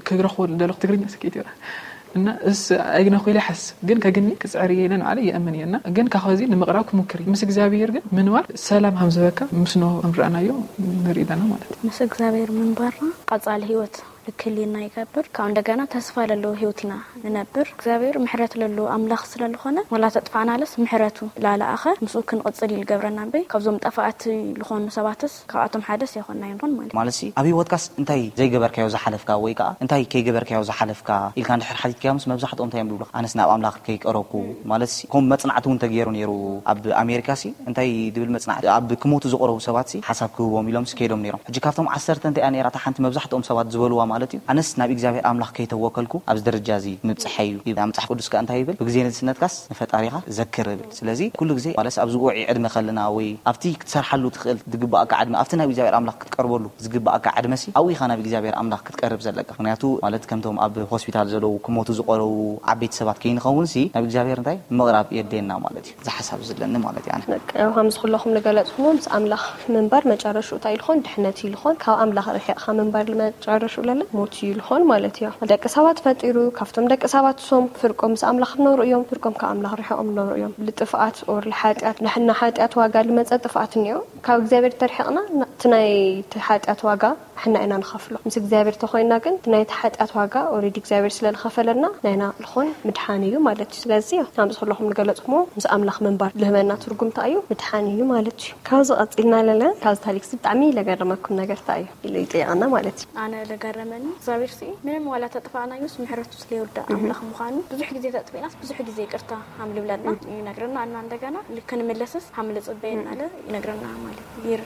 ክረኽቦ ደለኹ ትግርኛ ስኬት ይራ እና እስ ኣይግነኹ ኢለ ሓስብ ግን ከግኒ ክፅዕር እየ ኢለ ንዓለ ይኣምን እየ። እና ግን ካኸዚ ንምቕራብ ክሙክር እዩ። ምስ እግዚኣብሔር ግን ምንባር ሰላም ከም ዝበካ ምስ ኖህ ከም ረኣናዮ ንርኢ ኣለና ማለት እዩ። ምስ እግዚኣብሔር ምንባርና ቀጻሊ ህይወት ልክልየና ይገብር። ካብ እንደገና ተስፋ ለለዎ ህይወት ኢና ንነብር። እግዚኣብሔር ምሕረት ለለዎ ኣምላኽ ስለልኾነ ዋላ ተጥፋእናለስ ምሕረቱ ላለኣኸ ምስኡ ክንቕጽል እዩ ልገብረና እምበይ ካብዞም ጠፋእቲ ልኾኑ ሰባትስ ካብኣቶም ሓደስ የኾና ይንኾን ማለት እዩ። ማለት ሲ ኣብ ህይወትካስ እንታይ ዘይገበርካዮ ዝሓለፍካ ወይ ከዓ እንታይ ከይገበርካዮ ዝሓለፍካ ኢልካ እንድሕር ሓቲትካዮምስ መብዛሕትኦም እንታይ እዮም ዝብሉካ ኣነስ ናብ ኣምላኽ ከይቀረብኩ ማለት ሲ ከም መጽናዕቲ እውን ተገይሩ ነይሩ ኣብ ኣሜሪካ ሲ እንታይ ድብል መጽናዕቲ ኣብ ክሞቱ ዝቐረቡ ሰባት ሲ ሓሳብ ክህቦም ኢሎም ሲ ከይዶም ነይሮም። ሕጂ ካብቶም ዓሰርተ እንታይ እያ ነይራ እታ ሓንቲ መብዛሕትኦም ሰባት ዝበልዋ ማለት እዩ ኣነስ ናብ እግዚኣብሔር ኣምላኽ ከይተወከልኩ ኣብዚ ደረጃ እዚ ምብጽሐ እዩ ይብል። መጽሓፍ ቅዱስ ከኣ እንታይ ይብል ብግዜ ንእስነትካስ ንፈጣሪኻ ዘክር ይብል። ስለዚ ኩሉ ግዜ ማለትስ ኣብዚ ውዑይ ዕድመ ከለና ወይ ኣብቲ ክትሰርሓሉ ትኽእል ዝግባኣካ ዕድመ ኣብቲ ናብ እግዚኣብሔር ኣምላኽ ክትቀርበሉ ዝግባኣካ ዕድመ ሲ ኣብኡ ኢኻ ናብ እግዚኣብሔር ኣምላኽ ክትቀርብ ዘለካ። ምክንያቱ ማለት ከምቶም ኣብ ሆስፒታል ዘለዉ ክሞቱ ዝቐረቡ ዓበይቲ ሰባት ከይንኸውን ሲ ናብ እግዚኣብሔር እንታይ ምቕራብ የድልየና ማለት እዩ። እዚ ሓሳብ እዚ ኣለኒ ማለት እዩ ኣነ። በቃ ያው ከምዚ ኩለኹም ዝገለጽኩሞ ምስ ኣምላኽ ምንባር መጨረሽኡ እንታይ ኢልኾን ድሕነት ኢልኾን ካብ ኣምላኽ ርሒቕኻ ምንባር መጨረሽኡ ለለ ሞት እዩ ኢልኾን ማለት እዩ። ደቂ ሰባት ፈጢሩ ካብቶም ደቂ ሰባት ሶም ፍርቆም ምስ ኣምላኽ ዝነብሩ እዮም፣ ፍርቆም ካብ ኣምላኽ ርሒቖም ዝነብሩ እዮም። ልጥፍኣት ኦር ልሓጢኣት ንሕና ሓጢኣት ዋጋ ልመጸ ጥፍኣት እኒኦ ካብ እግዚኣብሔር ተርሒቕና እቲ ናይ እቲ ሓጢኣት ዋጋ ንሕና ኢና ንኸፍሎ። ምስ እግዚኣብሔር ተኾይንና ግን እቲ ናይቲ ሓጢኣት ዋጋ ኦሬዲ እግዚኣብሔር ስለ ዝኸፈለልና ናይና ልኾን ምድሓን እዩ ማለት እዩ። ስለዚ ከምዚ ኩለኹም ዝገለጽኩሞ ምስ ኣምላኽ ምንባር ልህበና ትርጉም እንታይ እዩ? ምድሓን እዩ ማለት እዩ። ካብዚ ቀጺልና ለለ ካብዚ ታሪክ እዚ ብጣዕሚ ለገረመኩም ነገር እንታይ እዩ ኢሉ ይጠይቐና ማለት እዩ። ኣነ ለገረመኒ እግዚኣብሔር ሲ ምንም ዋላ ተጥፋእናዮስ ምሕረቱ ስለይወዳእ ኣምላኽ ምዃኑ ብዙሕ ግዜ ተጥፊእናስ ብዙሕ ግዜ ይቅርታ ሃም ልብለና ይነግረና እና እንደገና ክንምለስስ ሃም ልጽበየና ለ ይነግረና ማለት ይር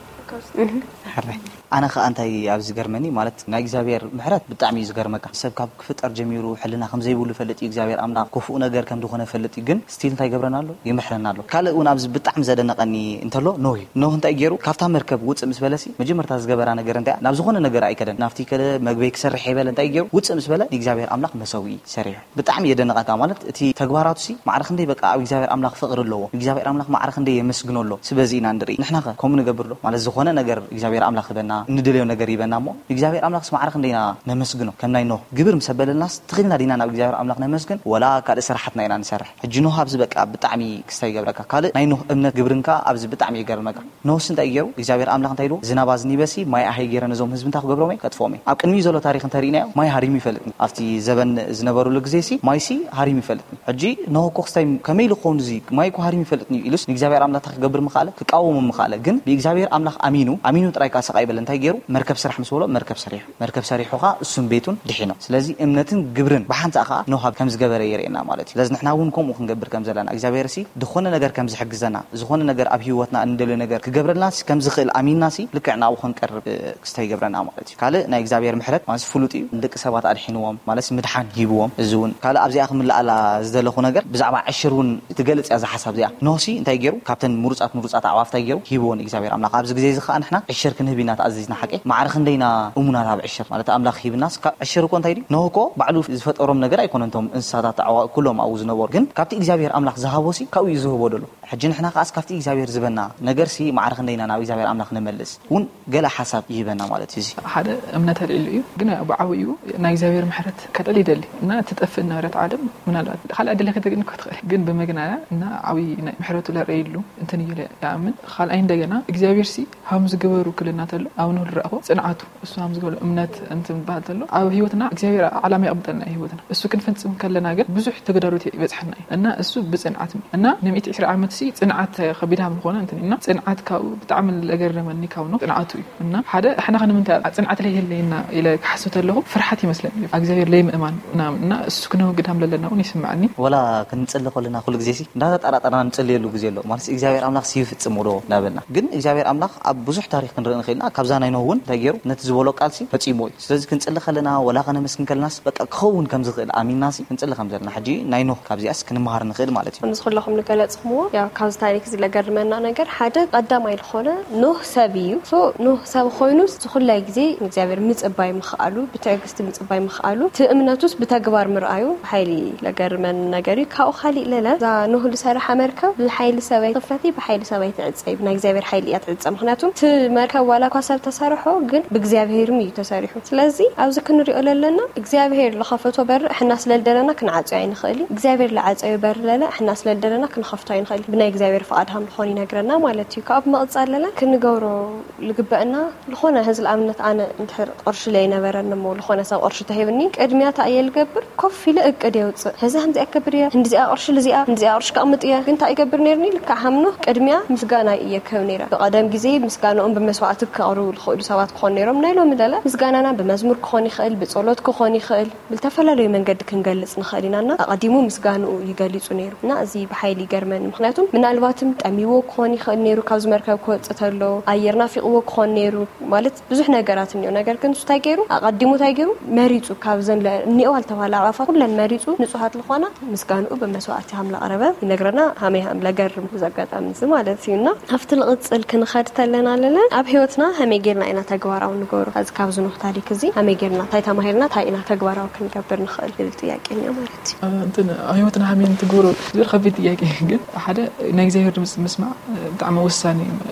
ሕራይ ኣነ ከዓ እንታይ ኣብዚ ዝገርመኒ ማለት ናይ እግዚኣብሔር ምሕረት ብጣዕሚ እዩ ዝገርመካ። ሰብ ካብ ክፍጠር ጀሚሩ ሕልና ከም ዘይብሉ ይፈልጥ እዩ እግዚኣብሔር ኣምላኽ ክፉእ ነገር ከም ዝኾነ ይፈልጥ እዩ። ግን ስቲል እንታይ ይገብረና ኣሎ? ይምሕረና ኣሎ። ካልእ እውን ኣብዚ ብጣዕሚ ዘደነቐኒ እንተሎ ኖህ እዩ። ኖህ እንታይ ገይሩ? ካብታ መርከብ ውፅእ ምስ በለሲ መጀመርታ ዝገበራ ነገር እንታይ እያ? ናብ ዝኾነ ነገር ኣይከደን። ናብቲ ከለ መግበይ ክሰርሕ የበለ እንታይ ገይሩ? ውፅእ ምስ በለ ንእግዚኣብሔር ኣምላኽ መሰውኢ ሰሪሑ። ብጣዕሚ የደንቐካ ማለት እቲ ተግባራቱ ሲ ማዕረ ክንደይ በቃ ኣብ እግዚኣብሔር ኣምላኽ ፍቕሪ ኣለዎ እግዚኣብሔር ኣምላኽ ማዕረ ክንደይ የመስግኖ ኣሎ ስበዚ ኢና ንርኢ ንሕና ከ ከምኡ ንገብር ዶ ማለት ዝኾነ ነገር እግዚኣብሔር ኣምላኽ ህበና እንደልዮ ነገር ይበና እሞ እግዚኣብሔር ኣምላኽስ ማዕረ ክንደይ ኢና ነመስግኖ ከም ናይ ኖህ ግብር ምስ ኣበለልናስ ትኽልና ዲና ናብ እግዚኣብሔር ኣምላኽ ነመስግን ወላ ካልእ ስራሓትና ኢና ንሰርሕ ሕጂ ኖህ ኣብዚ በቃ ብጣዕሚ ክስታይ ይገብረካ ካልእ ናይ ኖህ እምነት ግብርን ከኣ ኣብዚ ብጣዕሚ ይገርመካ ኖህስ እንታይ ገይሩ እግዚኣብሔር ኣምላኽ እንታይ ኢልዎ ዝናብ ኣዝኒበሲ ማይ ኣሀይ ገይረ ነዞም ህዝቢ እንታይ ክገብሮም እየ ከጥፍኦም እየ ኣብ ቅድሚኡ ዘሎ ታሪኽ እንተሪእናዮ ማይ ሃሪሙ ይፈልጥ ኣብቲ ዘበን ዝነበሩሉ ግዜሲ ማይሲ ሃሪሙ ይፈልጥ ሕጂ ኖህ እኮ ክስታይ ከመይ ኢሉ ክኸውን እዚ ማይ እኮ ሃሪሙ ይፈልጥ እዩ ኢሉስ ንእግዚኣብሔር ኣምላኽ እንታይ ክገብር ምኽኣለ ክቃወሞ ምኽኣለ ግን ብእግዚኣብሔር ኣምላኽ ኣሚኑ ኣሚኑ ጥራይ ከኣ ስቕ ኣይበለ እንታይ ገይሩ መርከብ ስራሕ ምስ በሎ መርከብ ሰሪሑ መርከብ ሰሪሑ ከኣ እሱን ቤቱን ድሒኖም ስለዚ እምነትን ግብርን ብሓንሳእ ከኣ ኖህ ከም ዝገበረ የርእየና ማለት እዩ ስለዚ ንሕና እውን ከምኡ ክንገብር ከም ዘለና እግዚኣብሔር ሲ ዝኾነ ነገር ከም ዝሕግዘና ዝኾነ ነገር ኣብ ህይወትና እንደልዮ ነገር ክገብረልና ሲ ከም ዝኽእል ኣሚንና ሲ ልክዕ ናብኡ ክንቀርብ ክስታይ ይገብረና ማለት እዩ ካልእ ናይ እግዚኣብሔር ምሕረት እዚ ፍሉጥ እዩ። ንደቂ ሰባት ኣድሒንዎም ማለት ምድሓን ሂብዎም። እዚ እውን ካልእ ኣብዚኣ ክምልኣላ ዝደለኹ ነገር ብዛዕባ ዕሽር እውን ትገልጽ እያ እዛ ሓሳብ እዚኣ። ኖህሲ እንታይ ገይሩ? ካብተን ምሩጻት ምሩጻት ኣዕዋፍ እንታይ ገይሩ? ሂብዎ ንእግዚኣብሔር ኣምላኽ። ኣብዚ ግዜ እዚ ከኣ ንሕና ዕሽር ክንህብ ኢና ተኣዚዝና። ሓቂ ማዕረ ክንደይና እሙናት ኣብ ዕሽር ማለት ኣምላኽ ሂብናስ ካብ ዕሽር እኮ እንታይ ድዩ? ኖህ እኮ ባዕሉ ዝፈጠሮም ነገር ኣይኮነን። እቶም እንስሳታት ኣዕዋ ኩሎም ኣብኡ ዝነበሩ ግን ካብቲ እግዚኣብሔር ኣምላኽ ዝሃቦሲ ካብኡ እዩ ዝህቦ ደሎ። ሕጂ ንሕና ከኣስ ካብቲ እግዚኣብሔር ዝበና ነገርሲ ማዕረ ክንደይና ናብ እግዚኣብሔር ኣምላኽ ንመልስ እውን ገለ ሓሳብ ይህበና ማለት እዩ። እዚ ሓደ እምነት ኣልዒሉ እዩ፣ ግን ብዓብኡ ናይ እግዚኣብሔር ምሕረት ከልዕል ይደሊ እና ትጠፍእ ነበረት ዓለም ምናልባት ካልኣ ድለ ከተግኒ እኮ ትኽእል፣ ግን ብምግናያ እና ዓብዪ ናይ ምሕረቱ ለረይሉ እንትን እዩ ኢለ ይኣምን። ካልኣይ እንደገና እግዚኣብሔር ሲ ሃም ዝገበሩ ክልና ተሎ ኣብ ንህሉ ረኣኹ ጽንዓቱ እሱ ሃም ዝገበሩ እምነት እንትን በሃል ተሎ ኣብ ህይወትና እግዚኣብሔር ዓላማ የቕምጠልና እዩ ህይወትና እሱ ክንፈጽም ከለና ግን ብዙሕ ተግዳሮት ይበጽሐና እዩ እና እሱ ብጽንዓት እና ንሚእቲ ዕስራ ዓመት ሲ ጽንዓት ከቢድ ሃም ዝኾነ እንትን እና ጽንዓት ካብኡ ብጣዕሚ ለገረመኒ ካብ ነው ጽንዓቱ እዩ እና ሓደ ኣሕና ከነምንታይ ኣብ ጽንዓት ላይ ይህለየና ኢለ ክሓስብ ተለኹ ፍርሓት ይመስለኒ እዩ እግዚኣብሔር ለይ ምእማን ምናምን እና እሱ ክነወግድ ሃም ለለና እውን ይስምዓኒ። ወላ ክንጽሊ ከለና ኩሉ ግዜ ሲ እንዳተጠራጠርና ንጽልየሉ ግዜ ኣሎ ማለት እግዚኣብሔር ኣምላኽ ሲ ይፍጽም ዶ እንዳበልና ግን እግዚኣብሔር ኣምላኽ ኣብ ብዙሕ ታሪኽ ክንርኢ ንኽእልና ካብዛ ናይ ኖህ እውን እንታይ ገይሩ ነቲ ዝበሎ ቃል ሲ ፈጺሞ እዩ። ስለዚ ክንጽሊ ከለና ወላ ከነመስግን ከለናስ በቃ ክኸውን ከም ዝኽእል ኣሚንናሲ ክንጽሊ ከም ዘለና ሕጂ ናይ ኖህ ካብዚኣስ ክንመሃር ንኽእል ማለት እዩ። ከምዚ ኩለኹም ዝገለጽኩምዎ ያው ካብዚ ታሪክ እዚ ለገርመና ነገር ሓደ ቀዳማይ ዝኾነ ኖህ ሰብ እዩ። ሶ ኖህ ሰብ ኮይኑ ዝኹላይ ግዜ ንእግዚኣብሔር ምጽባይ ምኽኣሉ ብትዕግስቲ ምጽባይ ምኽኣሉ እቲ እምነቱስ ብተግባር ምርኣዩ ሓይሊ ለገርመን ነገር እዩ። ካብኡ ካሊእ ለለ እዛ ኖህ ዝሰረሓ መርከብ ብሓይሊ ሰበይ ትኽፈቲ ብሓይሊ ሰበይ ትዕጸይ ብናይ እግዚኣብሔር ሓይሊ እያ ትዕጸ። ምክንያቱ እቲ መርከብ ዋላ እኳ ሰብ ተሰርሖ ግን ብእግዚኣብሔርም እዩ ተሰሪሑ። ስለዚ ኣብዚ ክንሪኦ ለለና እግዚኣብሔር ዝኸፈቶ በር እሕና ስለልደለና ክንዓፅዮ ኣይንኽእል እዩ። እግዚኣብሔር ዝዓፀዮ በር ለለ እሕና ስለልደለና ክንኸፍቶ ኣይንኽእል እዩ። ብናይ እግዚኣብሔር ፍቓድ ሃም ዝኾን ይነግረና ማለት እዩ። ካብ መቕፃል ለለ ክንገብሮ ልግበአና ዝኾነ ህዚ ንኣብነት ኣነ እንድሕር ቅርሺ ለይነበረኒ እሞ ዝኾነ ሰብ ቅርሺ ተሂብኒ ቅድሚያ እንታይ እየ ልገብር ኮፍ ኢለ እቅድ የውፅእ። ህዚ ከምዚኣ ክገብር እየ፣ እንዲዚኣ ቅርሺ ልዚኣ እንዲዚኣ ቅርሺ ከቕምጥ እየ። ግን እንታይ ይገብር ነይርኒ ልክዕ ሃምኖ ቅድሚያ ምስጋና እየ ክህብ ነይረ። ብቐደም ግዜ ምስጋንኦም ብመስዋዕቲ ከቕርቡ ዝኽእሉ ሰባት ክኾኑ ነይሮም። ናይ ሎሚ ለለ ምስጋናና ብመዝሙር ክኾን ይኽእል፣ ብጸሎት ክኾን ይኽእል፣ ብዝተፈላለዩ መንገዲ ክንገልጽ ንኽእል ኢና እና ኣቐዲሙ ምስጋንኡ ይገሊጹ ነይሩ እና እዚ ብሓይሊ ይገርመኒ። ምኽንያቱም ምናልባትም ጠሚዎ ክኾን ይኽእል ነይሩ ካብዚ መርከብ ክወጽእ ተሎ፣ ኣየር ናፊቕዎ ክኾን ነይሩ ማለት ብዙሕ ነገራት እኒኦ። ነገር ግን እሱ እንታይ ገይሩ ኣቐዲሙ እንታይ ገይሩ መሪጹ ካብዘን እኒኦ ዝተባህላ ኣዕዋፋት ኩለን መሪጹ ንጹሃት ዝኾና ምስጋንኡ ብመስዋዕቲ ሃም ለቕረበ ይነግረና። ሃመይ ሃም ለገርም እዚ ኣጋጣሚ እዚ ማለት እዩ እና ኣብቲ ልቕጽል ክንኸድ ተለና ኣለለ ኣብ ህይወትና ሃመይ ጌርና ኢና ተግባራዊ ንገብሮ። እዚ ካብዚ ኖህ ታሪክ እዚ ሃመይ ጌርና እንታይ ተማሂርና እንታይ ኢና ተግባራዊ ክንገብር ንኽእል ዝብል ጥያቄ እኒኦ ማለት እዩ። እንትን ህይወትና ሃመይ እንትገብሮ ዝብል ከቢድ ጥያቄ ግን ሓደ ናይ እግዚኣብሔር ድምፂ ምስማዕ ብጣዕሚ ወሳኒ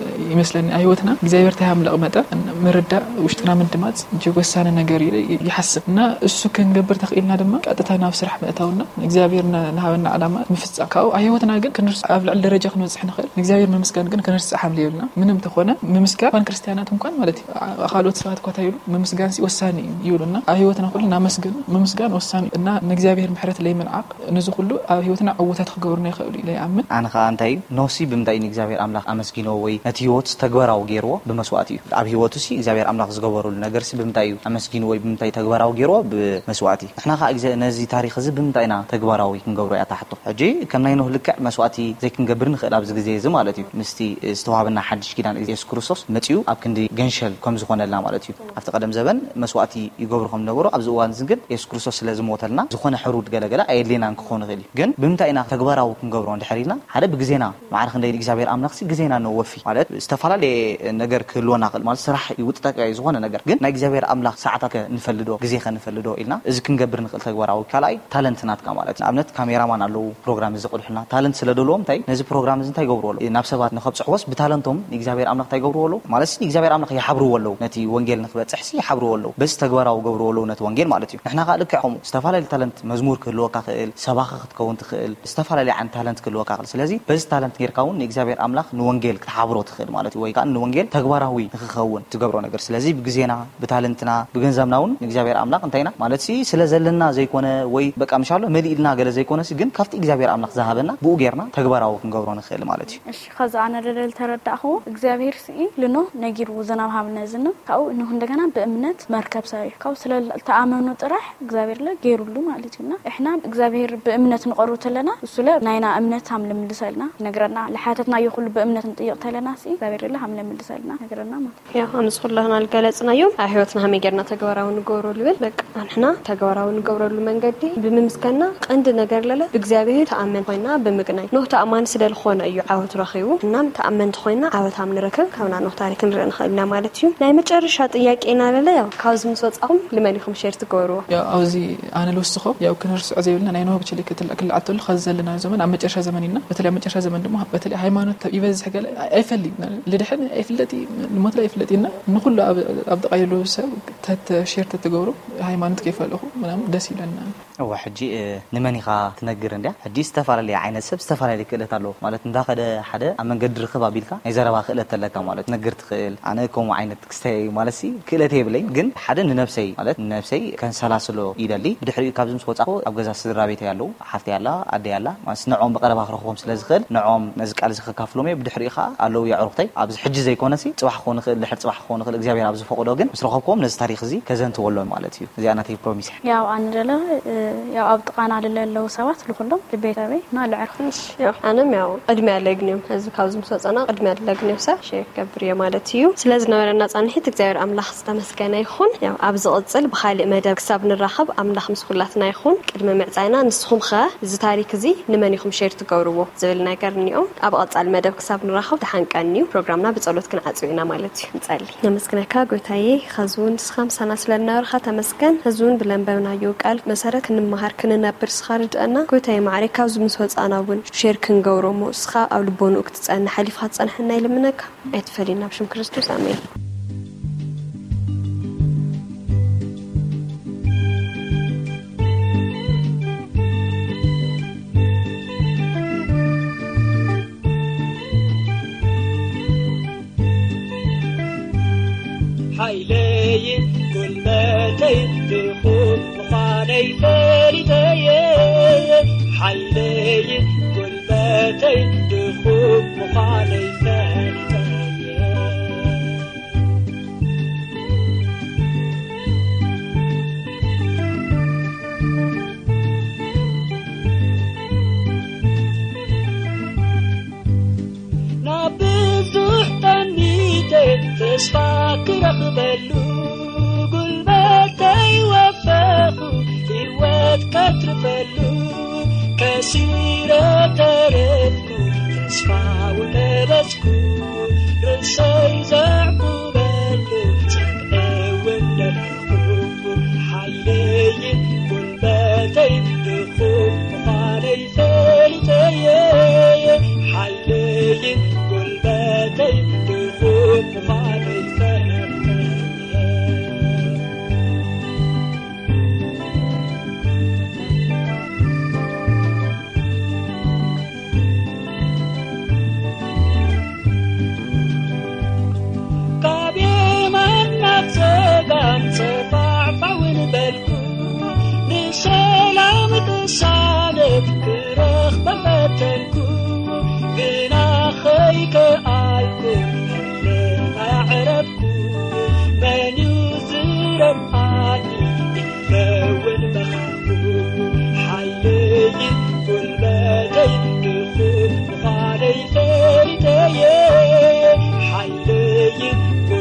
ይመስለኒ። ኣብ ህይወትና እግዚኣብሔር እንታይ ሃም ለቕመጠ ምርዳእ ውሽጥና ምድማፅ እጅግ ወሳኒ ነገር እዩ ይሓስብ እና እሱ ክንገብር ተኽኢልና ድማ ቀጥታ ናብ ስራሕ ምእታውና እግዚኣብሔር ንሃበና ዓላማ ምፍፃም ካብኡ ኣብ ህይወትና ግን ክንርስ ኣብ ልዕሊ ደረጃ ክንበፅሕ ንኽእል ንእግዚኣብሔር ምምስጋን ግን ክንርስዕ ሃም የብልና። ምንም ተኾነ ምምስጋን እኳን ክርስትያናት እንኳን ማለት እዩ ካልኦት ሰባት እኳ ይብሉ ምምስጋን ሲ ወሳኒ እዩ ይብሉና። ኣብ ህይወትና ኩሉ እናመስገኑ ምምስጋን ወሳኒ እዩ እና ንእግዚኣብሔር ምሕረት ለይምንዓቕ ንዚ ኩሉ ኣብ ህይወትና ዕውታት ክገብሩና ይኽእሉ ኢለ ይኣምን። ኣነ ኸኣ እንታይ እዩ ኖህሲ ብምንታይ እዩ ንእግዚኣብሔር ኣምላኽ ኣመስጊንዎ ወይ ነቲ ህይወቱስ ተግባራዊ ገይርዎ ብመስዋእቲ እዩ። ኣብ ህይወቱሲ እግዚኣብሔር ኣምላኽ ዝገበረሉ ነገርሲ ብምንታይ እዩ ኣመስጊንዎ ወይ ብምንታይ ተግባራዊ ገይርዎ ብመስዋእቲ። ንሕና ኸኣ ግዜ ነዚ ታሪኽ እዚ ብምንታይ ኢና ተግባራዊ ክንገብሮ እያ እታ ሕቶ። ሕጂ ከም ናይ ኖህ ልክዕ መስዋእቲ ዘይክንገብር ንኽእል ኣብዚ ግዜ እዚ ማለት እዩ። ምስቲ ዝተዋህበና ሓድሽ ኪዳን የሱስ ክርስቶስ መጺኡ ኣብ ክንዲ ገንሸል ከም ዝኾነልና ማለት እዩ። ኣብቲ ቀደም ዘበን መስዋእቲ ይገብሩ ከም ዝነበሩ ኣብዚ እዋን እዚ ግን የሱስ ክርስቶስ ስለ ዝሞተልና ዝኾነ ሕሩድ ገለገለ ኣየድልየናን ክኾን ይኽእል እዩ። ግን ብምንታይ ኢና ተግባራዊ ክንገብሮ እንድሕር ኢልና ሓደ ብግዜና ማዕረ ክንደይ እግዚኣብሔር ኣምላኽሲ ግዜና ነወፊ ማለት ዝተፈላለየ ነገር ክህልወና ክእል ማለት ስራሕ ይውጥጠቀ እዩ ዝኾነ ነገር ግን ናይ እግዚኣብሔር ኣምላኽ ሰዓታት ከ ንፈልዶ ግዜ ከ ንፈልዶ ኢልና እዚ ክንገብር ንኽእል ተግባራዊ ካልኣይ ታለንት ናትካ ማለት ንኣብነት ካሜራማን ኣለዉ ፕሮግራም እዚ ቅድሑልና ታለንት ስለ ደልዎም እንታይ ነዚ ፕሮግራም እዚ እንታይ ይገብርዎ ኣለዉ ናብ ሰባት ንኸብፅሕዎስ ብታለንቶም ንእግዚኣብሔር ኣምላኽ እንታይ ይገብርዎ ኣለዉ ማለት ንእግዚኣብሔር ኣምላኽ ይሓብርዎ ኣለዉ ነቲ ወንጌል ንክበፅሕሲ ይሓብርዎ ኣለዉ በዚ ተግባራዊ ገብርዎ ኣለዉ ነቲ ወንጌል ማለት እዩ ንሕና ከዓ ልክዕ ከምኡ ዝተፈላለዩ ታለንት መዝሙር ክህልወካ ክእል ሰባኺ ክትከውን ትኽእል ዝተፈላለዩ ዓይነት ታለንት ክህልወካ ክእል ስለዚ በዚ ታለንት ጌርካ እውን ንእግዚኣብሔር ኣምላኽ ንወንጌል ክትሓብሮ ትኽእል ማለት እዩ ወይ ከዓ ንወንጌል ተግባራዊ ንክኸውን ትገብሮ ነገር ስለዚ ብግዜና ብታለንትና ብገንዘብና እውን ንእግዚኣብሔር ኣምላኽ እንታይ ኢና ማለት ሲ ስለ ዘለና ዘይኮነ ወይ በቃ ምሻሎ መሊእልና ገለ ዘይኮነ ሲ ግን ካብቲ እግዚኣብሔር ኣምላኽ ዝሃበና ብኡ ጌርና ተግባራዊ ክንገብሮ ንኽእል ማለት እዩ። እሺ ከዚ ኣነ ደለል ተረዳእኽዎ እግዚኣብሔር ስኢ ልኖ ነጊርዎ ዝናብ ሃብ ነዝንብ ካብኡ እነሆ እንደገና ብእምነት መርከብ ሰሪሑ ካብኡ ስለ ተኣመኑ ጥራሕ እግዚኣብሔር ለ ገይሩሉ ማለት እዩ እና እሕና እግዚኣብሔር ብእምነት ንቐርቡ ተለና እሱ ለ ናይና እምነት ሃም ልምልሰልና ይነግረና ለሓተትና ይኹሉ ብእምነት ንጥይቕ ተለና ሲ እግዚኣብሔር ለ ሃም ልምልሰልና ይነግረና ማለት እዩ። ያው ኣምስ ኩላህና ልገለጽናዮም ኣብ ህይወትና ሃመይ ጌርና ተግባራዊ ንገብሮ ልብል በቃ ኣንሕና ተግባራዊ ንገብረሉ መንገዲ ብምምስከና ቀንዲ ነገር ለለ ብእግዚኣብሔር ተኣመን ኮይና ብምግናይ ኖህ ተኣማኒ ስለ ዝኾነ እዩ ዓወት ረኺቡ። እናም ተኣመንቲ ኮይና ዓወት ኣብ ንረክብ ካብና ኖህ ታሪክ ንርኢ ንኽእል ኢና ማለት እዩ። ናይ መጨረሻ ጥያቄ ኢና ለለ ያው ካብዚ ምስ ወጻኹም ልመን ኢኹም ሼር ትገብርዎ? ያው ኣብዚ ኣነ ልውስኾ ያው ክንርስዖ ዘይብልና ናይ ኖህ ብችሊ ክትል ክልዓተሉ ከዚ ዘለና ዘመን ኣብ መጨረሻ ዘመን ኢና። በተለይ ኣብ መጨረሻ ዘመን ድማ በተለይ ሃይማኖት ይበዝሕ ገለ ኣይፈልጥ ልድሕን ኣይፍለጥ ንሞትላ ኣይፍለጥ ኢና። ንኩሉ ኣብ ኣብ ጥቓ የሉ ሰብ ተተ ሼር ተትገብሩ ሃይማኖት ከይፈለኹ ምናምን ደስ ይብለና። እዋ ሕጂ ንመን ኢኻ ትነግር እንድያ? ሕጂ ዝተፈላለየ ዓይነት ሰብ ዝተፈላለየ ክእለት ኣለዎ ማለት እንዳኸደ ሓደ ኣብ መንገዲ ርክብ ኣቢልካ ናይ ዘረባ ክእለት ተለካ ማለት ትነግር ትኽእል። ኣነ ከምኡ ዓይነት ክስተይ ማለት ሲ ክእለት የብለይ ግን ሓደ ንነብሰይ ማለት ንነብሰይ ከንሰላስሎ ይደሊ። ብድሕሪኡ ካብዚ ምስ ወጻኹ ኣብ ገዛ ስድራ ቤተይ ኣለዉ ሓፍተይ ኣላ ኣደይ ኣላ ማለት ንዕኦም ብቐረባ ክረኽቦም ስለ ዝኽእል ንዕኦም ነዚ ቃል እዚ ከካፍሎም እየ። ብድሕሪኡ ከዓ ኣለዉ የዕሩኽተይ ኣብዚ ሕጂ ዘይኮነሲ ጽባሕ ክኾን ይኽእል ድሕሪ ጽባሕ ክኾን ይኽእል እግዚኣብሔር ኣብ ዝፈቕዶ ግን ምስ ረኸብክዎም ነዚ ታሪክ እዚ ከዘንትወሎም ማለት እዩ። እዚኣ ናተይ ፕሮሚስ እያ። ያው ኣነ ደለ ያው ኣብ ጥቓና ልለ ኣለዉ ሰባት ልኩሎም ልቤተበይ እና ልዕርኹ። ያው ኣነም ያው ቅድሚያ ለግንዮም እዚ ካብዚ ምስ ወፀና ቅድሚያ ለግንዮም ሰብ ሼር ክገብር እየ ማለት እዩ። ስለ ዝነበረና ፃንሒት እግዚኣብሔር ኣምላኽ ዝተመስገነ ይኹን። ያው ኣብ ዝቕፅል ብካሊእ መደብ ክሳብ ንራኸብ ኣምላኽ ምስ ኩላትና ይኹን። ቅድሚ ምዕፃይና ንስኹም ኸ እዚ ታሪክ እዚ ንመን ኢኹም ሼር ትገብርዎ ዝብል ነገር እኒኦ። ኣብ ቐፃሊ መደብ ክሳብ ንራኸብ ደሓን ቀንዩ። ፕሮግራምና ብጸሎት ክንዓጽው ኢና ማለት እዩ። ንጸሊ። ነመስግነካ ጎይታዬ፣ ኸዚ እውን ንስኻ ምሳና ስለ እናበርኻ ተመስገን። ኸዚ እውን ብለንበብናዮ ቃል መሰረት ክንመሃር ክንነብር ንስኻ ርድአና። ጎይታዬ መዓረይ፣ ካብዚ ምስ ወጻእና እውን ሼር ክንገብሮ እሞ ንስኻ ኣብ ልቦንኡ ክትጸንሕ ሓሊፍኻ ትጸንሐና ይልምነካ። ኣይትፈለየና ብሽም ክርስቶስ ኣሜን። ሓይለይን ጉልበተይን ድኹም ምዃነይ ፈሊጠየ። ሓይለይን ጉልበተይን ድኹም ምዃነይ ፈሊጠየ። ናብ ብዙሕ ጠሚተ ተስፋ ክረኽበሉ ጉልበተይ ወፈኹ ህይወት ከትርፈሉ ከሲረ ተረፍኩ ተስፋ ወቀበጽኩ ርእሰይ ዘዕቁበሉ ጸግዒ እውን ደለኹ ሓይለይን ጉልበተይ ድኹም ምዃነይ ፈሊጠየ ሓይለይን ጉልበተይ ድኹም ምዃነይ ፈሊጠየ። ካብ የማን ናብ ጸጋም ጸፋዕፋውን በልኩ ንሰላም ቅሳነት ክረኽበ ፈተንኩ ግና ኸይከኣ